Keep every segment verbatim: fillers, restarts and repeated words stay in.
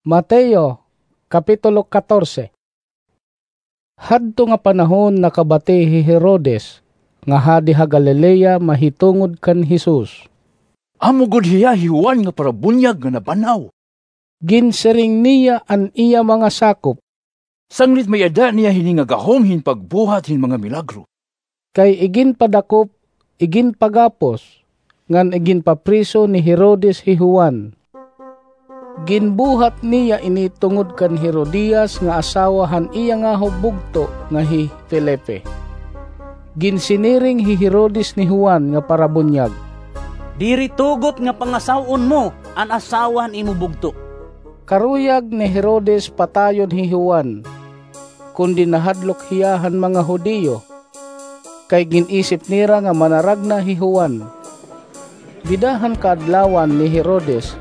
Mateo, Kapitulo katorse. Hadto nga panahon nakabati hi Herodes, nga hadi ha Galilea mahitungod kan Jesus. Amo gud hiya hi Juan nga parabunyag nga naban-aw. Ginsiring niya an iya mga sakop. Sanglit may-ada niya hini nga gahom hin pagbuhat hin mga milagro. Kay iginpadakop, iginpagapos, ngan iginpapriso ni Herodes hi Juan. Ginbuhat niya ini tungod kan Herodias nga asawa han iya ngaho bugto nga hi Felipe. Ginsiniring hi Herodes ni Juan nga parabunyag, "Diri tugot nga pangasaw-on mo an asawa han imo bugto." Karuyag ni Herodes patayon hi Juan, kundi nahadlok hiya han mga Judio, kay gin-isip nira nga manaragna hi Juan. Dida han kaadlawan ni Herodes,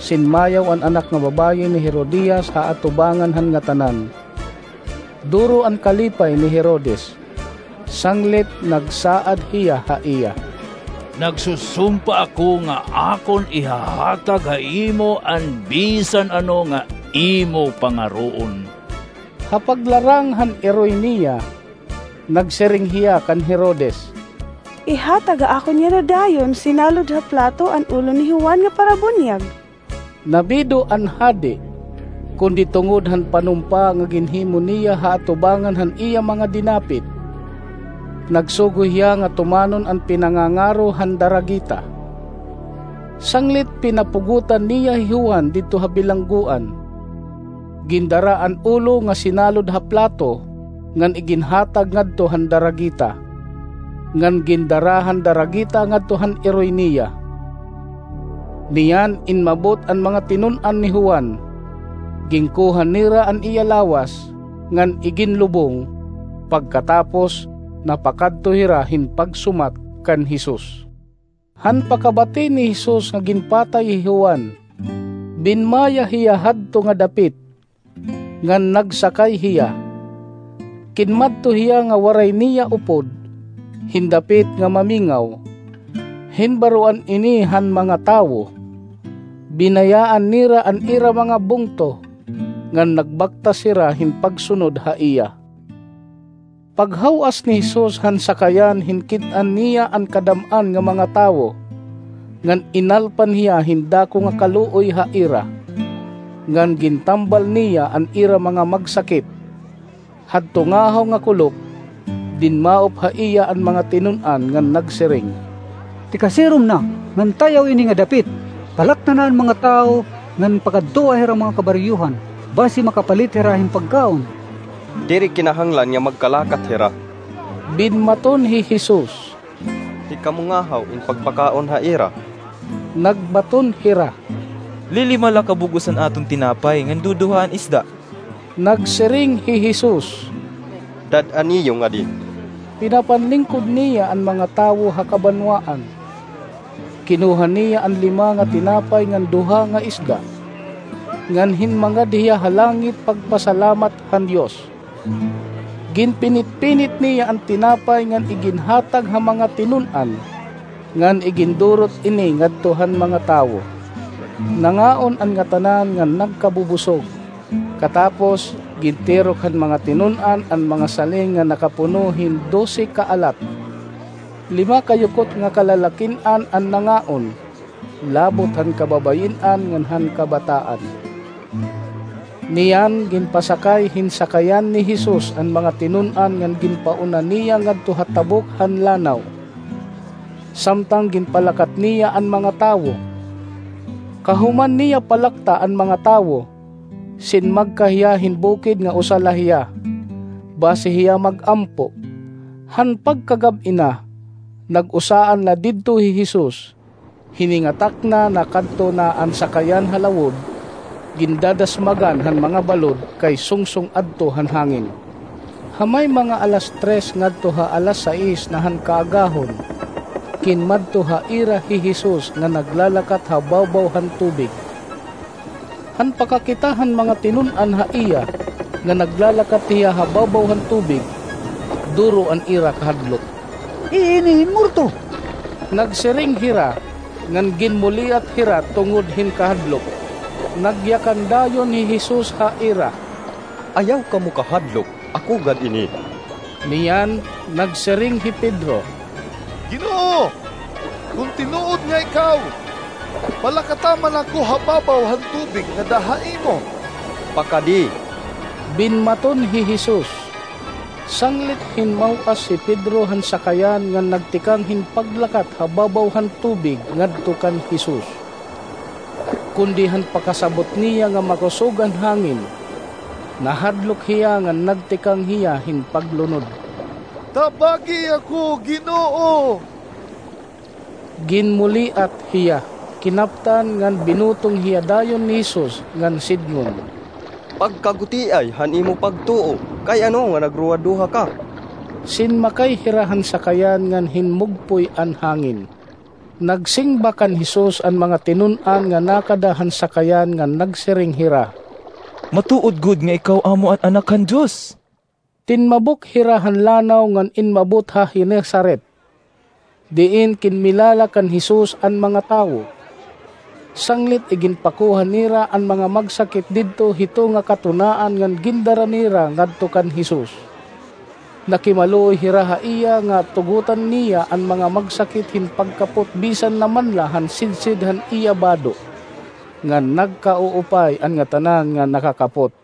sinmayaw an anak nga babaye ni Herodias ha atubangan han ngatanan. Duro an kalipay ni Herodes, sanglit nagsaad hiya ha iya, "Nagsusumpa ako nga akon ihahatag ha imo an bisan ano nga imo pangaroon." Ha paglarang han iroy niya, nagsiring hiya kan Herodes, "Ihatag ha akon yana dayon sinalod ha plato an ulo ni Juan nga parabunyag." Nabido an hadi, kundi tungod han panumpa nga ginhimo niya ha atubangan han iya mga dinapit, nagsugo hiya nga tumanon an pinangangaro han daragita. Sanglit pinapugotan niya hi Juan didto ha bilanggoan. Gindara an ulo nga sinalod ha plato, ngan iginhatag ngadto han daragita. Ngan gindara han daragita ngadto han iroy niya. Niyan inmabot an mga tinun-an ni Juan. Ginkuha nira an iya lawas, ngan iginlubong, pagkatapos napakadto hira hin pagsumat kan Jesus. Han pakabati ni Jesus nga ginpatay hi Juan, binmaya hiya hadto nga dapit, ngan nagsakay hiya. Kinmadto hiya nga waray niya upod, hin dapit nga mamingaw. Hinbaroan ini han mga tawo. Binayaan nira an ira mga bungto, ngan nagbaktas hira hin pagsunod ha iya. Paghaw-as ni Jesus han sakayan hin kit-an niya an kadam-an nga mga tawo, ngan inalpan hiya hin dako nga kaluoy ha ira, ngan gintambal niya an ira mga magsakit. Hadto ngahaw nga kulop, dinmaop ha iya an mga tinun-an ngan nagsiring, "Tikasirom na, ngan tay-aw ini nga dapit, palakta na an mga tawo, ngan pakadtoa hira mga kabaryohan, basi makapalit hira hin pagkaon." "Diri kinahanglan nga magkalakat hira," binmaton hi Jesus. "Hikamo ngahaw in pagpakaon ha ira." Nagbaton hira, "Lilima la ka bug-os an aton tinapay ngan duduha an isda." Nagsiring hi Jesus, "Dad-an niyo ngadi." Pinapanlingkod niya an mga tawo ha kabanwaan. Kinuha niya an lima nga tinapay ngan duha nga isda, ngan hinmangad hiya ha langit pagpasalamat han Dios. Ginpinit-pinit niya an tinapay ngan iginhatag ha mga tinun-an, ngan igindurot ini ngadto han mga tawo. Nangaon an ngatanan ngan nagkabubusog. Katapos, gintirok han mga tinun-an an mga saling nga nakapuno hin dose ka alat. Lima ka yukot nga kalalakin-an an nangaon, labot han kababayin-an ngan han kabataan. Niyan ginpasakay hin sakayan ni Jesus an mga tinun-an ngan ginpauna niya ngadto ha tabok han lanaw. Samtang ginpalakat niya an mga tawo. Kahuman niya palakta an mga tawo, sinmagka hiya hin bukid nga usa la hiya, basi hiya mag-ampo. Han pagkagab-i na, nag-usaan la didto hi Jesus. Hiningatak na nakadto na an sakayan ha lawod, gindadasmagan han mga balod kay sungsong adto han hangin. Ha may mga alas tres ngadto ha alas sais na han kaagahon, kinmadto ha ira hi Jesus nga naglalakat ha bawbaw han tubig. Han pakakita han mga tinun-an ha iya nga naglalakat hiya ha bawbaw han tubig, duro an ira kahadlok. "Iini hin morto!" nagsiring hira, ngan ginmuliat hira tungod hin kahadlok. Nagyakan dayon hi Jesus ha ira. Ayaw kamo kahadlok, ako gad ini. Niyan, nagsiring hi Pedro, Ginoo, kon tinuod nga ikaw, palakata man ako ha babaw han tubig ngada ha imo. Pakadi, binmaton hi Jesus. Sanglit hin maw-as hi Pedro han sakayan ngan nagtikang hin paglakat ha babaw han tubig ngadto kan Jesus. Kundi han pakasabot niya nga makusog an hangin, nahadlok hiya ngan nagtikang hiya hin paglunod. Tabagi ako, Ginoo! Ginmuliat hiya, kinaptan ngan binutong hiya dayon ni Jesus ngan sidngon, Pagkagutiay han imo pagtuo, kay ano nga nagruwaduha ka? Sinmakay hira han sakayan ngan hinmugpoy an hangin. Nagsimba kan Jesus an mga tinun-an nga nakada han sakayan ngan nagsiring hira, Matuod gud nga ikaw amo an Anak han Dios. Tinmabok hira han lanaw ngan inmabot ha Genesaret, diin kinmilala kan Jesus an mga tawo. Sanglit iginpakuha nira an mga magsakit didto hito nga katunaan ngan gindara nira ngadto kan Jesus. Nakimaluoy hira ha iya nga tugotan niya an mga magsakit hin pagkapot bisan na man la han sidsid han iya bado, ngan nagkauupay an ngatanan nga nakakapot.